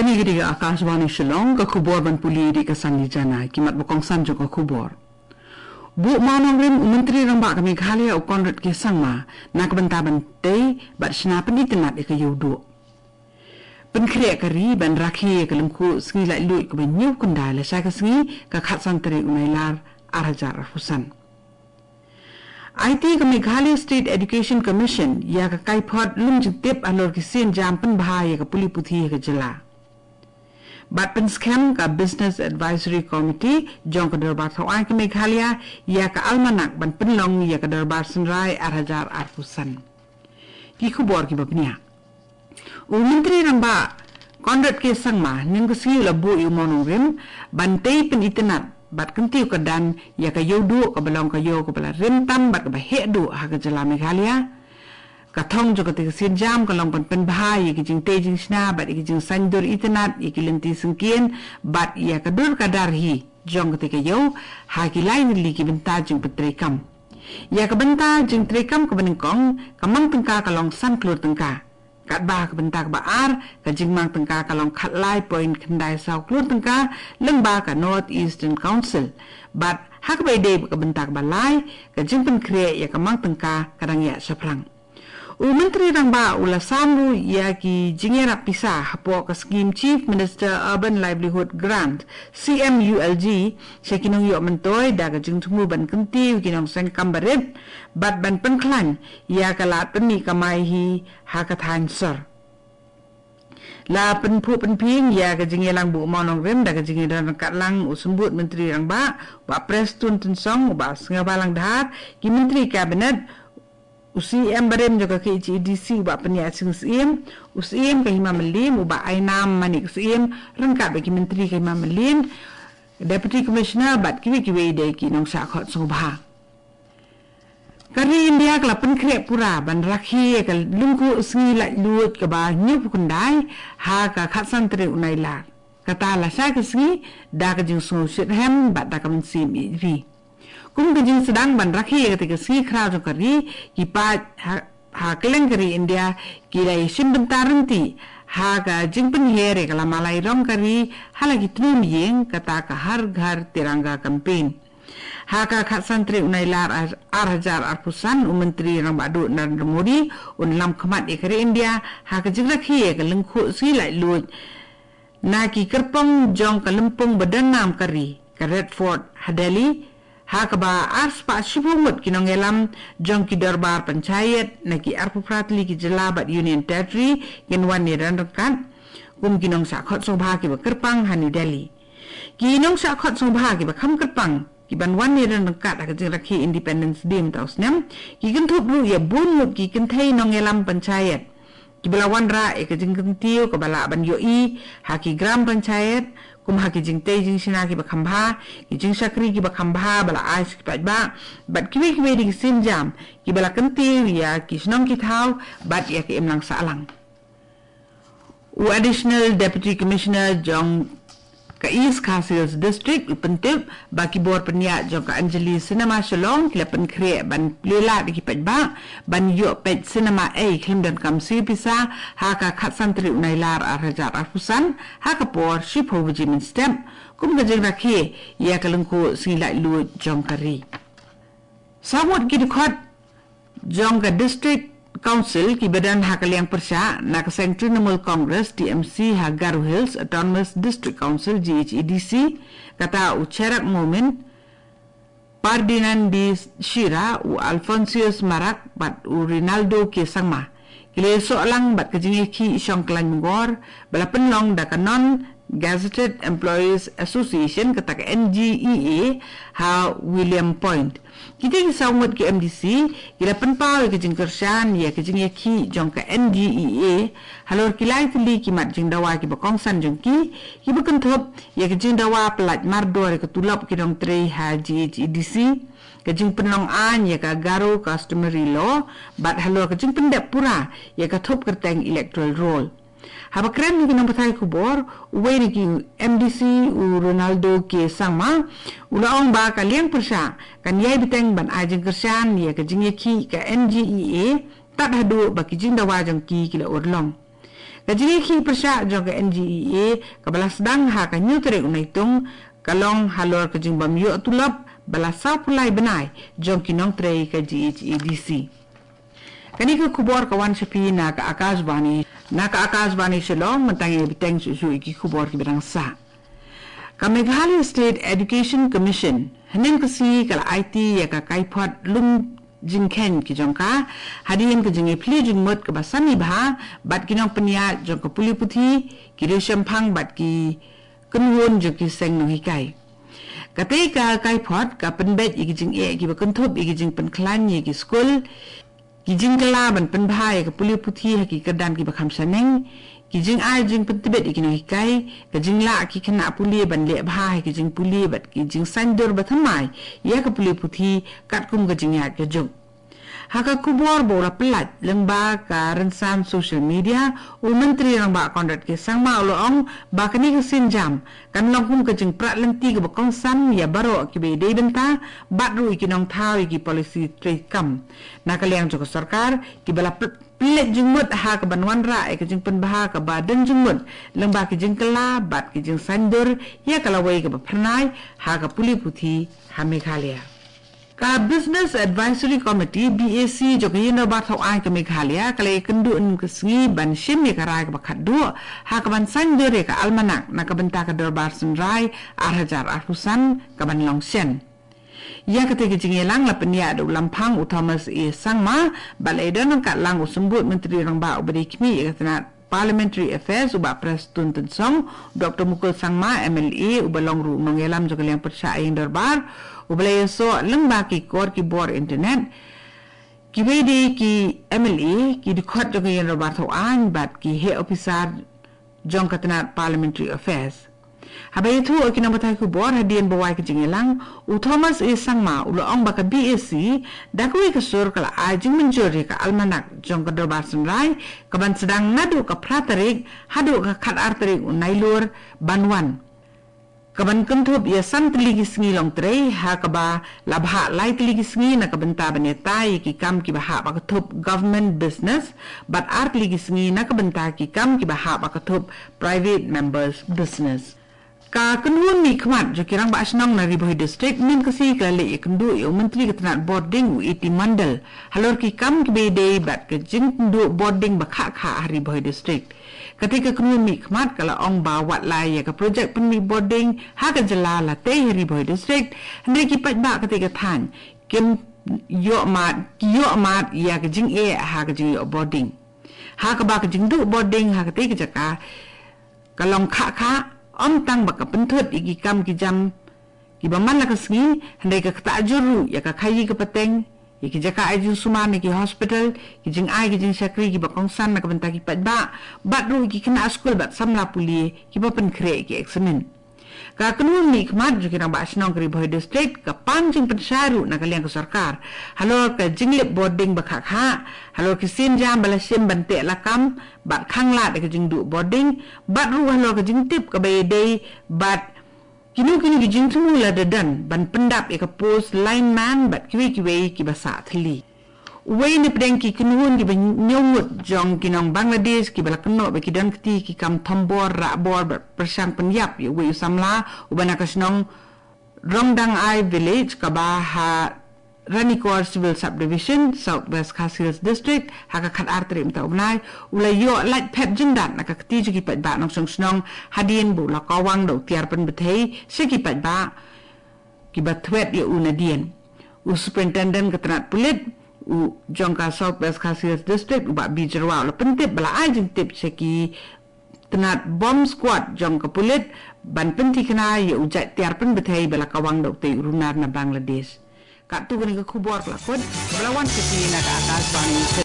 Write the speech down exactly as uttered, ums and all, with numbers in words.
Kane ka dei ka Akashvani Shillong, ka khubor ban pule da ka Sangli Jana, ki mat ba kongsan jong ka khubor. Buh mawnongrim u Myntri Rangbah ka Meghalaya u Conrad K Sangma na ka bynta ban tei bad shna pynitynnad ïa ka ïewduh. Pynkhreh ka ri ban rakhe ïa ka lyngkhuh sngi laitluid kaba hynñiewphew khyndai lashai ka sngi ka khatsan tarik u Nailar ar hajar arphew san. Aiti ka Meghalaya State Education Commission ïa ka kaiphod lum jingtip halor ki sienjam pynbha ïa ka pule puthi ha ka jylla. Bad pynskhem ka Business Advisory Committee jong ka Dorbar Thaw Aiñ ka Meghalaya ïa ka almanak ban pynlong ïa ka Dorbar Synrai ar hajar arphew san. Ki khubor kiba bniah. U Myntri Rangbah Conrad K Sangma mynne ka sngi u la buh ïa u mawnongrim ban tei pynitynnad bad kyntiew kyrdan ïa ka ïewduh kaba long ka ïew kaba la rim tam bad kaba heh duh ha ka jylla Meghalaya. Ka thong jong kata ka sienjam ka long ban pynbha ïa ki jingtei jingshna bad ïa ki jingsaiñdur itynnad ïa ki lynti syngkien bad ïa ka dur ka dar hi jong kata ka ïew ha ki lai tylli ki bynta jingpyntreikam. Ïa ka bynta jingtreikam kaba nyngkong ka mang tyngka ka long san klur tyngka. Katba ka bynta kaba ar ka jingmang tyngka ka long khatlai point khyndai saw klur tyngka lyngba ka North Eastern Council. Bad ha kaba ïadei bad ka bynta kaba lai ka jingpynkhreh ïa ka mang tyngka ka dang ïaid shaphrang. U Myntri Rangbah u la sam ruh ïa ki jingïarap pisa hapoh ka skhim Chief Minister Urban Livelihood Grant, C M U L G, sha ki nongïoh myntoi da ka jingthmu ban kyntiew ïa ki nongseng kam barit bad ban pynkhlaiñ ïa ka lad pynmih kamai hi ha ka thaiñ sor. La pynphuh pynphieng ïa ka jingïalang buh mawnongrim da ka jingïadon ryngkat lang u Symbud Myntri Rangbah Bah Prestone Tynsong, u Bah Sniawbhalang Dhar, ki Myntri Cabinet, u C M barim jong ka K H A D C u Bah Pynïaid Sing Syiem, u Syiem ka Hima Mylliem u Bah Aiñam Manik Syiem, ryngkat bad ki Myntri ka Hima Mylliem, Deputy Commissioner bad kiwei kiwei de ki nongshah khot sngewbha. Ka ri India ka la pynkhreh pura ban rakhe ïa ka lyngkhuh sngi laitluid kaba hynñiewphew khyndai ha ka khatsan tarik u Nailar. Kata lashai ka sngi da ka jingsngew shitrhem bad da ka mynsiem ïeit ri. Kum ka jingsdang ban rakhe ïa kata ka sngi khraw jong ka ri, ki paid ha, ha kylleng ka ri India ki la ïashim bynta ryntih ha ka jingpynhiar ïa ka lama lai rong ka ri ha la ki tnum ïing, kata ka Har Ghar Tiranga campaign. Ha ka khatsan tarik u Nailar ar, ar hajar arphew san, u Myntri Rangbah Duh Narendra Modi un lam khmat ïa ka ri India ha ka jingrakhe ïa ka lyngkhuh sngi laitluid na ki kyrpong jong ka lympung ba don nam ka ri, ka Red Fort ha Delhi, ha kaba arspah shiphew ngut ki nongïalam jong ki dorbar panchayat na ki arphew phra tylli ki jylla bad Union Territory kin wan ïadon ryngkat kum ki nongshah khot sngewbha kiba kyrpang ha New Delhi. Ki nongshah khot sngewbha kiba kham kyrpang kiban wan ïadon ryngkat ha ka jingrakhe Independence Day mynta u snem ki kynthup ruh ïa bun ngut ki kynthei nongïalam panchayat kiba la wanrah ïa ka jingkyntiew kaba lah ban ïohi ha ki gram panchayat, kum ha ki jingtei jingshna kiba kham bha, ki jingshakri kiba kham bha ba la ai sha ki paidbah, bad kiwei kiwei de ki sienjam kiba la kyntiew ïa ki shnong ki thaw bad ïa ka imlang sahlang. U Additional Deputy Commissioner jong ka East Khasi Hills District u pyntip ba ki bor pynïaid jong ka Anjali Cinema Shillong ki la pynkhreh ban plie lad ïa ki paidbah ban ïoh peit cinema ei khlem donkam siew pisa ha ka khatsan tarik u Nailar ar hajar arphew san ha ka por shiphew baje mynstep kum ka jingrakhe ïa ka lyngkhuh sngi laitluid jong ka ri. Saw ngut ki dkhot jong ka District Council kiba don ha ka liang pyrshah na ka seng Trinamool Congress, T M C, ha Garo Hills Autonomous District Council, G H A D C, kata u Cherak Momin, Pardinand D Shira, u Alphonsus Marak bad u Rinaldo K Sangma ki la ïasoh lang bad ka jingïakhih shong khlaiñ myngor ba la pynlong da ka Non Gazetted Employees Association, kata ka N G E A, ha William Point. Kita ki saw ngut ki M D C ki la pynpaw ïa ka jingkyrshan ïa ka jingïakhih jong ka N G E A halor ki lai tylli ki mat jingdawa kiba kongsan jong ki, kiba kynthup ïa ka jingdawa pyllait mardor ïa ka tulop ki nongtrei ha G H A D C, ka jingpynlong aiñ ïa ka Garo Customary Law bad halor ka jingpyndep pura ïa ka thup kyrteng electoral roll. Haba kren ïa ki nongpathai khubor, uwei na ki M D C u Rinaldo K Sangma u la ong ba ka liang pyrshah kan ïai bteng ban ai jingkyrshan ïa ka jingïakhih ka N G E A tad haduh ba ki jingdawa jong ki ki la urlong. Ka jingïakhih pyrshah jong ka N G E A kaba la sdang ha ka hynñiew tarik u Naitung ka long halor ka jingbym ïoh tulop ba la saw phew lai bnai jong ki nongtrei ka G H A D C. Kane ka khubor ka wan sha phi na ka Akashvani, na ka Akashvani Shillong. Mynta ngin ïa bteng shuh shuh ïa ki khubor kiba dang sah. Ka Meghalaya State Education Commission hynnin ka sngi ka la aiti ïa ka kaiphod lum jingkheiñ ki jong ka hadien ka jingïaphylliew jingmut kaba sani bha bad ki nongpynïaid jong ka pule puthi, ki riewshemphang bad ki kynhun jong ki seng nonghikai. Katei ka kaiphod ka pynbeit ïa ki jingeh kiba kynthup ïa ki jingpynkhlaiñ ïa ki skul, ki jingkylla ban pynbha ïa ka pule puthi ha ki kyrdan kiba kham shaneng, ki jingai jingpyntbit ïa ki nonghikai, ka jinglah ki khynnah pule ban leh bha ha ki jingpule bad ki jingsaiñdur ba thymmai ïa ka pule puthi katkum ka jingïaid ka juk. Ha ka khubor ba u la pyllait lyngba ka rynsan social media, u Myntri Rangbah Conrad K Sangma u la ong ba kane ka sienjam kan long kum ka jingprat lynti kaba kongsan ïa baroh kiba ïadei bynta bad ruh ïa ki nongthaw ïa ki policy treikam na ka liang jong ka sorkar kiba la py-, pynleit jingmut ha kaban wanrah ïa ka jingpynbha kaba don jingmut lyngba ki jingkylla bad ki jingsaiñdur ïa ka lawei kaba phyrnai ha ka pule puthi ha Meghalaya. Ka Business Advisory Committee, B A C, jong ka Ïing Dorbar Thaw Aiñ ka Meghalaya ka la ïakynduh hynnin ka sngi ban shim ïa ka rai kaba khatduh ha kaban saiñdur ïa ka almanak na ka bynta ka Dorbar Synrai ar hajar arphew san kaban long shen. Ïa katei ka jingïalang la pynïaid da u Lamphang u Thomas A Sangma bad la ïadon ryngkat lang u Symbud Myntri Rangbah uba dei khmih ïa ka tnat Parliamentary Affairs u Bah Prestone Tynsong, Doctor Mukul Sangma, M L A, uba long ruh u nongïalam jong ka liang pyrshah ïing dorbar, uba la ïasoh lyngba ki kor ki bor internet. Kiwei de ki M L A, ki dkhot jong ka Ïing Dorbar Thaw Aiñ bad ki heh ophisar jong ka tnat Parliamentary Affairs. Haba ïathuh ïa ki nongpathai khubor hadien ba wai ka jingïalang, u Thomas A Sangma u la ong ba ka B A C da kawei ka sur ka la ai jingmynjur ïa ka almanak jong ka Dorbar Synrai kaban sdang naduh ka phra tarik haduh ka khatar tarik u Nailur ban wan, kaban kynthup ïa san tylli ki sngi longtrei, ha kaba la bhah lai tylli ki sngi na ka bynta ban ïatai ïa ki kam kiba hap ba ka thup government business bad ar tylli ki sngi na ka bynta ki kam kiba hap ba ka thup private members business. Ka kynhun mihkhmat jong ki rangbah shnong na Ri Bhoi District mynta ka sngi ka la leit ïakynduh ïa u Myntri ka tnat bording u A T Mondal halor ki kam kiba ïadei bad ka jingkynduh bording ba khah khah ha Ri Bhoi District. Katei ka kynhun mihkhmat ka la ong ba wat la ïa ka projek pynmih bording ha ka jylla la tei ha Ri Bhoi District, hynrei ki paidbah katei ka thaiñ kim ïoh mad, ki ïoh mad ïa ka jingeh ha ka jingïoh bording. Ha kaba ka jingduh bording ha katei ka jaka ka long khah khah, ym tang ba ka pynthut ïa ki kam ki jam kiba man la ka sngi, hynrei ka ktah jur ruh ïa ka khaïi ka pateng, ïa ki jaka ai jingsumar ne ki hospital, ki jingai ki jingshakri kiba kongsan na ka bynta ki paidbah, bad ruh ïa ki khynnah skul bad samla pule kiba pynkhreh ïa ki eksamin. Ka kynhun mihkhmat jong ki rangbah shnong ka Ri Bhoi District ka pan jingpynshai ruh na ka liang ka sorkar halor ka jinglip bording ba khah khah, halor ki sienjam ba la shim ban teh lakam bad khanglad ïa ka jingduh bording, bad ruh halor ka jingtip kaba ïadei bad kino kino ki jingthmu lada don ban pyndap ïa ka post lineman bad kiwei kiwei kiba sah thylli. Uwei na pdeng ki kynhun kiba ñiewmut jong ki nong Bangladesh kiba la kynnoh ba ki don kti ki kam thombor, rahbor bad pyrshang pynïap ïa uwei u samla uba na ka shnong Rongdangai Village kaba ha Ranikor Civil Subdivision, South West Khasi Hills District, ha ka khatar tarik mynta u bnai, u la ïoh lait phep jyndat na ka kti jong ki paidbah nongshong shnong hadien ba u la kawang da u tiar pynbthei sha ki paidbah kiba thwet ïa u nadien. U Superintendent ka tnat pulit u jong ka South West Khasi Hills District u Bah B Jyrwa u la pyntip ba la ai jingtip sha ki tnat bomb squad jong ka pulit ban pynthikna ïa u jait tiar pynbthei ba la kawang da utei u runar na Bangladesh. Katto katne ka khubor ka la kut ba la wan sha phi na ka Akashvani.